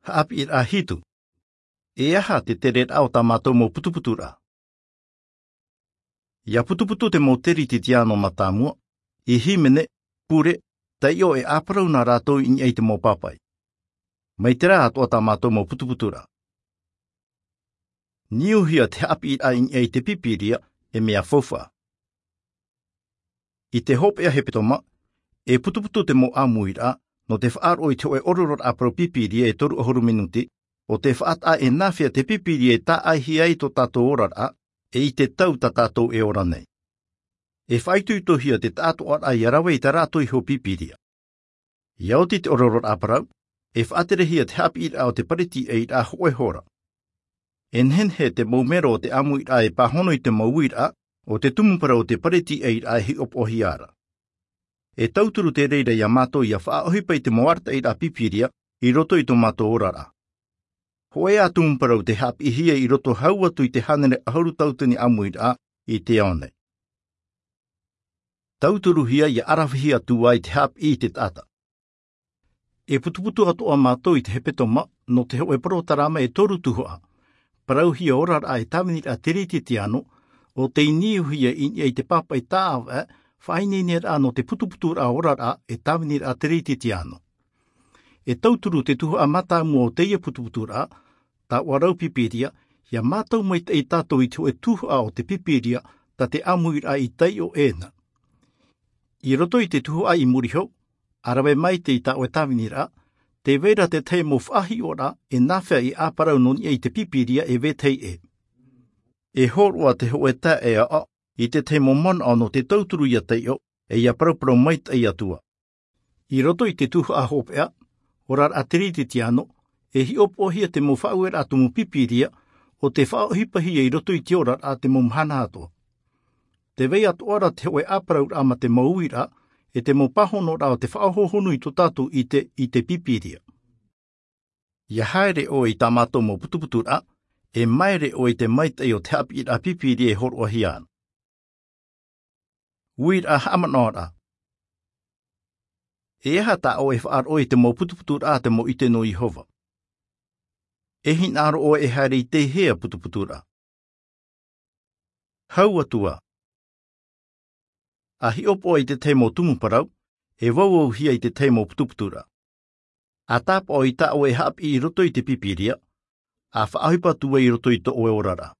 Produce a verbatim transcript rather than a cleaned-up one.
Haʻapiʻiraʻa hitu. E aha te tereraʻa o tā mātou mau putuputuraʻa? ʻIa putuputu te mau teretitiano mātāmua, i hīmene, pure, taiʻo e ʻāparau nā rātou i niʻa i te mau pāpaʻi. Mai terā atoʻa tā mātou mau putuputuraʻa. Niuhia te haʻapiʻiraʻa i niʻa i te Pīpīria, e mea faufaʻa. I te hopeʻa hepetoma, e putuputu te mau ʻāmuiraʻa, nō te faʻaroʻo i te hōʻē orororaʻa parau Pīpīria e toru ʻahuru minuti, ʻo tē faʻataʻa e nāfea te Pīpīria e tāʻaihia ai tō tātou oraraʻa, e i te tau tā tātou e ora nei. E faʻaitoitohia te taʻatoʻaraʻa ʻia rave i tā rātou iho Pīpīria. ʻIa oti te orororaʻa parau, e faʻaterehia te haʻapiʻiraʻa o te pareti ʻairaʻa hōʻē hora. E nehenehe te mau mero o te ʻāmuiraʻa e pāhono i te mau uiraʻa, ʻo te tumu parau o te pareti ʻairaʻa e hiʻopoʻahia ra. E tauturu te reira iā mātou ʻia faʻaʻohipa i te mau arataʻiraʻa Pīpīria, i roto i tō mātou oraraʻa. Hōʻē ā tumu parau tē haʻapiʻihia i roto hau atu i te hānere ʻahuru tauatini ʻāmuiraʻa i te ao nei. Tauturuhia ʻia ʻaravihi atu ai te haʻapiʻi i te taʻata. E putuputu atoʻa mātou i te hepetoma, nō te hōʻē porotarama e toru tuhaʻa. Parauhia oraraʻa e tāviniraʻa teretitiano, ʻo tei niuhia i niʻa i te pāpaʻi tāʻāvaʻe, faʻaineineraʻa nō te putuputuraʻa oraraʻa e tāviniraʻa teretitiano. E tauturu te tuhaʻa mātāmua o teie putuputuraʻa, taoʻa rau Pīpīria, ʻia mātau maitaʻi tātou i te hōʻē tuhaʻa o te Pīpīria, tā te ʻāmuiraʻa i taiʻo ʻē na. I roto i te tuhaʻa i muri iho, ʻa rave maitaʻi i tā ʻoe tāviniraʻa, tē vai ra te tahi mau faʻahiʻoraʻa e nāfea e ʻāparau nō niʻa i te Pīpīria e vetahi ʻē. E hōroʻa te hōʻē taeaʻe i te tahi mau manaʻo nō te tauturu ʻia taiʻo, e ʻia paraparau maitaʻi atu ā. I roto i te tuhaʻa hopeʻa, oraraʻa teretitiano, e hiʻopoʻahia te mau faʻaueraʻa tumu Pīpīria, ʻo tē faʻaʻohipahia i roto i te oraraʻa te mau mahana atoʻa. Tē vai atoʻa ra te hōʻē ʻāparauraʻa mā te mau uiraʻa, e te mau pāhonoraʻa o te faʻahohonu i tō tātou ʻite i te Pīpīria. ʻIa haere ʻoe i tā mātou mau putuputuraʻa, e māere ʻoe i te maitaʻi o te haʻapiʻiraʻa Pīpīria e hōroʻahia ana. Uiraʻa haʻamanaʻoraʻa. E aha tā ʻoe e faʻaroʻo i te mau putuputuraʻa a te mau ʻite nō Iehova? E hinaʻaro ʻoe e haere i teie putuputuraʻa? Hau atu ā. ʻA hiʻopoʻa i te tahi mau tumu parau, e vauauhia i te tahi mau putuputuraʻa. ʻA tāpaʻo i tā ʻoe e haʻapiʻi i roto i te Pīpīria, ʻa faʻaʻohipa atu ai i roto i tō ʻoe oraraʻa.